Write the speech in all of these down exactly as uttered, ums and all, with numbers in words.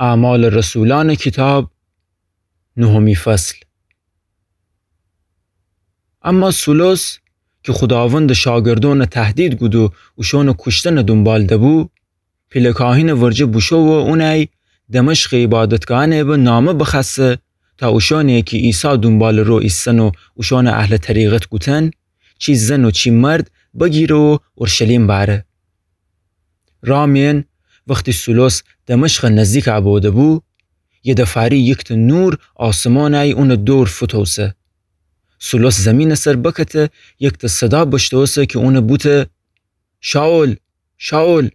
اعمال رسولأنٚ کیتاب، نهمی فصل. اما سولوس کی خوداوندٚ شاگردأنَ تهدید کود و اوشأنٚ کوشتنٚ دونبال دبو، پیله کاهینٚ ورجه بوشو و اونأی دمشقٚ عیبادتگاهأنٚ به نامه بخوأسه، تا اوشأنی کی عیسی دونبالٚ رو ایسن و اوشأنَ اهلٚ طریقت گوتن، چی زن و چی مرد بگیره و اورشلیم بأره. رأ مئن وختی سولوس دمشقَ نزدیکَ بوده‌بو، یدفأری یکتأ نور آسمانأی اونٚ دور فوتوسه. سولوس زیمینٚ سر بکته، یکتأ صدا بشتوسه کی اونَ بوته: شائول، شائول،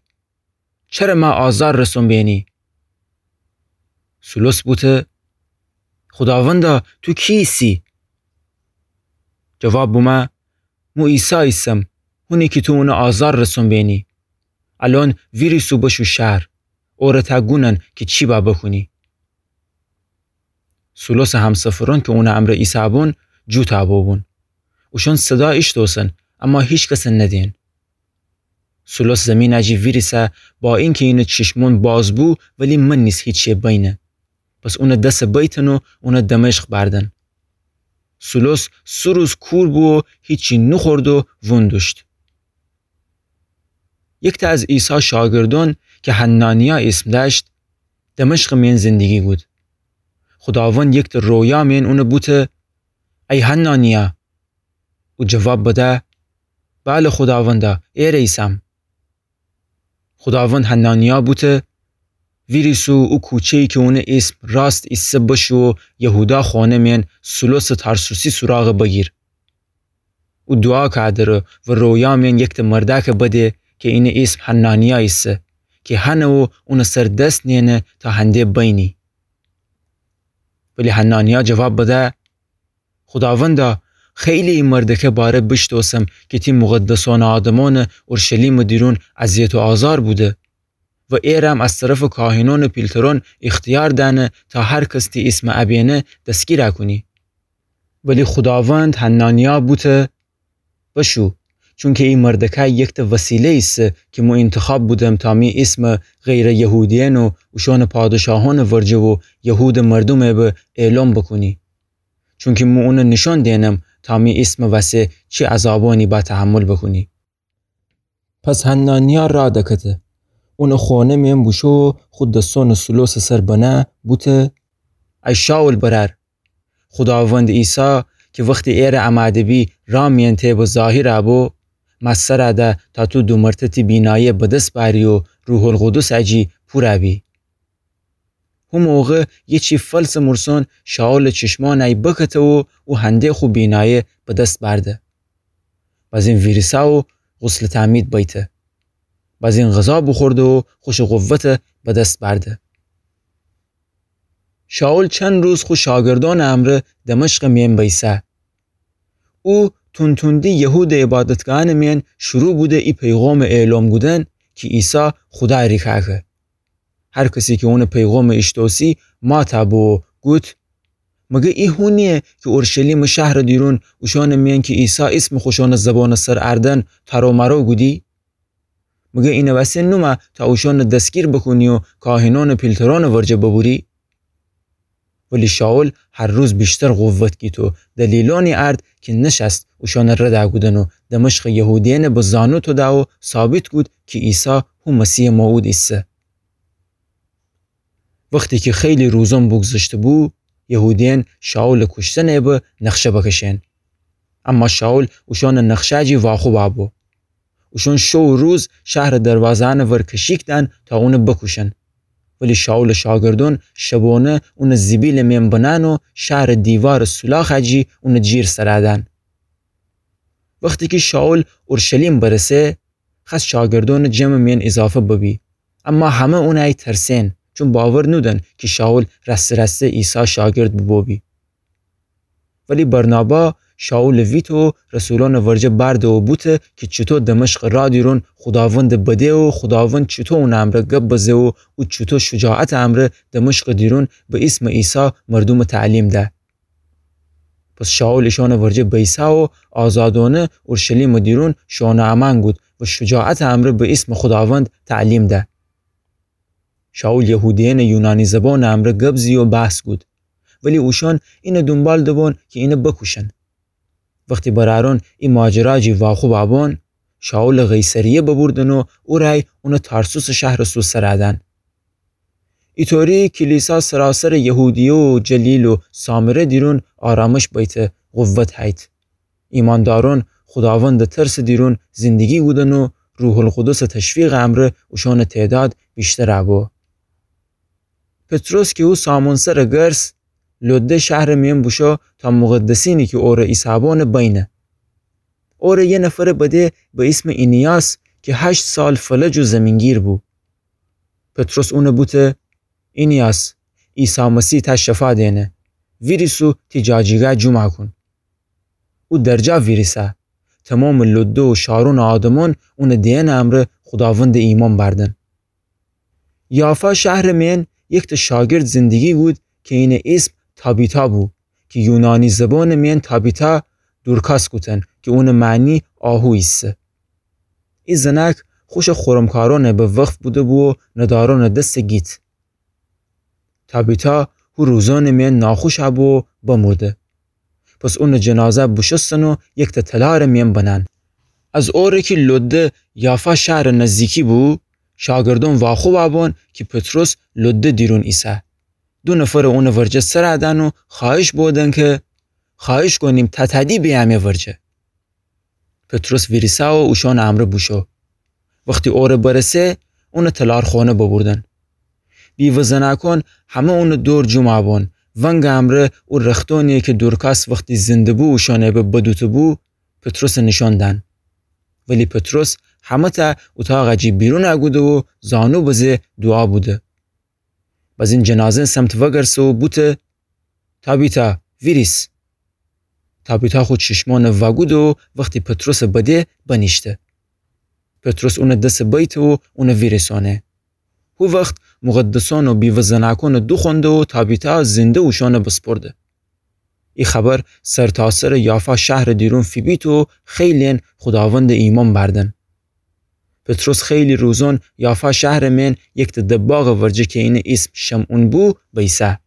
چره مه آزار رسون بینی؟ سولوس بوته: خوداوندا، تو کی ایسی؟ جواب بومه: مو عیسی ایسم، هونی کی تو اونَ آزار رسون بینی. الأن ویریس و بشو شهر، اوره تا گونن کی چی با بکونی. سولوسٚ همسفرأن کی اونٚ امرأ ایسه‌بون، جوتَ بوبون. اوشأن صدا ایشتوسن، اما هیکسَ ندئن. سولوس زیمینٚ جی ویریسه، با اینکی اینٚ چیشمأن باز بو، ولی من نیز هیچی بینه. پس اونٚ دسَ بیتن و اونَ دمشق بردن. سولوس سه روز کور بو و هیچی نوخورد و وون دوشت. یکتأ از عیسی شاگردأن کی حنانیا ایسم دأشت، دمشقٚ مئن زندگی گود. خوداوند یکتأ رویا مئن اونَ بوته: ای حنانیا! او جواب بده: بله خوداوندا، ایره ایسم. خوداوند حنانیا بوته: ویریس و او کوچه‌یی کی اونٚ ایسم راست ایسه بشو و یهودا خوأنه مئن سولوسٚ ترسوسی سوراغَ بگیر. او دوعا کأدره و رویا مئن یکتأ مردأکَ بده کی اینٚ ایسم حنانیا ایسه، کی هنه و اونٚ سر دس نیأنه تا هنده بینی. ولی حنانیا جواب بده: خوداوندا، خیلی ای مردکه باره بیشتوسم کی تی مقدسأنٚ آدمأنَ اورشلیمٚ دیرون اذیت و آزار بوده و ایرم از طرفٚ کاهنأنٚ پیلترأن اختیار دأنه تا هر کس تی ایسمَ ابینه دستگیرَ کونی. ولی خوداوند حنانیا بوته: بشو، چونکی ای مردکه یکتأ وسیله ایسه کی مو اینتخاب بودم تا می ایسمَ غیرٚ یهودیأن و اوشأنٚ پادشاهأنٚ ورجه و یهودٚ مردومٚ به اعلام بکونی. چونکی مو اونَ نیشأن دئنم تا می ایسمٚ وسه چی عذابأنی با تحمل بکونی. پس حنانیا رأ دکته. اونٚ خونه مئن بوشو و خو دسأنَ سولوسٚ سر بنه، بوته: ای شائول برأر، خوداوند عیسی کی وختی ایرَ امأده‌بی رأ مئن تی به ظاهرَ بو، مأ سرَ ده تا تو دومرتأ تی بینایه بدس بأری و روح‌القدسٚ جی پورَ بی. هو موقع یه چی فلسٚ مورسأن شائولٚ چشمأنَ بکته و او هنده خو بینایه بدس بأرده. بازین ویریسه و غسلٚ تعمید بیته. بازین غذا بوخورده و خوشٚ قوتَ بدس بأرده. شائول چند روز خو شاگردأنٚ امرأ دمشقٚ مئن بیسه. او تون‌توندی یهودٚ عبادتگاهأنٚ مئن شروع بوده ای پیغامٚ اعلام کودن کی عیسی خودا ریکاکه. هر کسی کی اونٚ پیغامَ ایشتوسی ماتَ بو و گوت: مگه ای هو نییه کی اورشلیمٚ شهرٚ دیرون اوشأنٚ مئن کی عیسی ایسمَ خوشأنٚ زبانٚ سر اردن تارومارو کودی؟ مگه اینٚ وسه نومه تا اوشأنَ دستگیر بکونی و کاهنأنٚ پیلترأنٚ ورجه ببوری؟ ولی شائول هر روز ویشتر قوت گیت و دلیلأنی ارد کی نشأست اوشأنٚ رد کودن و دمشقٚ یهودیأنَ به زانو توده و ثابت کود کی عیسی هو مسیحٚ موعود ایسه. وختی کی خیلی روزأن بوگذشته‌بو، یهودیأن شائولٚ کوشتنٚ به نقشه بکشئن. اما شائول اوشأنٚ نقشه جی واخوب بو. اوشأن شو و روز شهرٚ دروازه‌یأنٚ ور کشیک دأن تا اونَ بکوشن. ولی شائولٚ شاگردأن شبأنه اونَ زیبیلٚ مئن بنأن و شهرٚ دیوارٚ سولاخ جی اونٚ جیر سرَ دأن. وختی کی شائول اورشلیم برسه، خأست شاگردأنٚ جمعٚ مئن ایضافه ببی. اما همه اونَ ترسئن، چون باور نودن کی شائول راسته راسته عیسی شاگرد بوبو بی. ولی برنابا شائولٚ ویته و رسولأنٚ ورجه بأرده و بوته کی چوطو دمشقٚ راه دیرون خوداوندَ بده و خوداوند چوطو اونٚ امرأ گب بزه و او چوطو شجاعتٚ امرأ دمشقٚ دیرون به ایسمٚ عیسی مردومَ تعلیم ده. پس شائول ایشأنٚ ورجه بیسه و آزادأنه اورشلیمٚ دیرون شأنٚ امأن کود و شجاعتٚ امرأ به ایسمٚ خوداوند تعلیم ده. شائول یهودیأنٚ یونانی زبانٚ امرأ گب زی و بحث کود، ولی اوشأن اینٚ دونبال دبون کی اینٚ بکوشن. وختی برأرأن ای ماجرا جی واخوب بون، شائولٚ قیصریه ببردن و او رأی اونٚ تارسوسٚ شهرٚ سو سرأ دأن. ایطوری کلیسا سراسرٚ یهودیه و جلیل و سامره دیرون آرامش بیته، قوت هییت. ایماندارأن خوداوندٚ ترسٚ دیرون زندگی کودن و روح‌القدسٚ تشویقٚ امرأ اوشأنٚ تعداد ویشتر بو. پطرس کی او سامونسرٚ گرس، لده شهرٚ میأن بوشو تا مقدسینی کی اورٚ ایسابونٚ بینه. اورٚ یه نفرٚ بده به ایسمٚ اینیاس کی هشت سال فلج و زیمینگیر بو. پطرس اونٚ بوته: اینیاس، عیسی مسیح تأ شفا دئنه، ویریس و تی جاجیگا جومأ کون. او درجا ویریسه. تومامٚ لده و شارونٚ آدمأن اونٚ دئنٚ امرأ خوداوندٚ ایمأن بأردن. یافا شهرٚ میأن یکتأ شاگرد زندگی کود کی اینٚ ایسم تابیتا بو، کی یونانی زبانٚ میأن تابیتا دورکاس کوتن، کی اونٚ معنی آهو ایسه. ای زنأک خوشٚ خرمکارأنٚ به وقف بوده‌بو و ندارأنٚ دس گیت. تابیتا هو روزأنٚ میأن ناخوش بو و بمرده. پس اونٚ جنازه بوشوستن و یکتأ تلارٚ میأن بنأن. از اوره کی لده یافا شهرٚ نزدیکی بو، شاگردأن واخوب بون کی پطرس لده دیرون ایسه. دو نفرٚ اونٚ ورجه سرأ دأن و خوأهش بودن کی: خوأهش کونیم تا تأدی بیأ می ورجه. پطرس ویریسه و اوشأنٚ امرأ بوشو. وختی اوره برسه، اونٚ تلارخونه ببردن. بیوه زنأکأن همه اونٚ دور جومأ بون، ونگٚ امرأ او رختأنی کی دورکاس وختی زنده بو اوشأنٚ به بدوته‌بو، پطرسٚ نیشأن دأن. ولی پطرس همه‌تأ اوطاقٚ جی بیرون کوده و زانو بزه دوعا بوده. بزین جنازه‌نٚ سمت وگرسه و بوته: تابیتا، ویریس. تابیتا خو چشمأن وأکوده و وختی پطرسٚ بده بنیشته. پطرس اونٚ دس بیته و اون ویریسأنه. هو وخت مقدسأن و بیوه زنأکأن دوخوأنده و تابیتا زنده اوشأن بسپرده. ای خبر سرتاسرٚ یافا شهرٚ دیرون فیبیت و خیلی‌یأن خوداوندٚ ایمأن بأردن. پطرس خیلی روزأن یافا شهرٚ میأن یکتأ دباغٚ ورجه کی اینٚ ایسم شمعون بو، بیسه.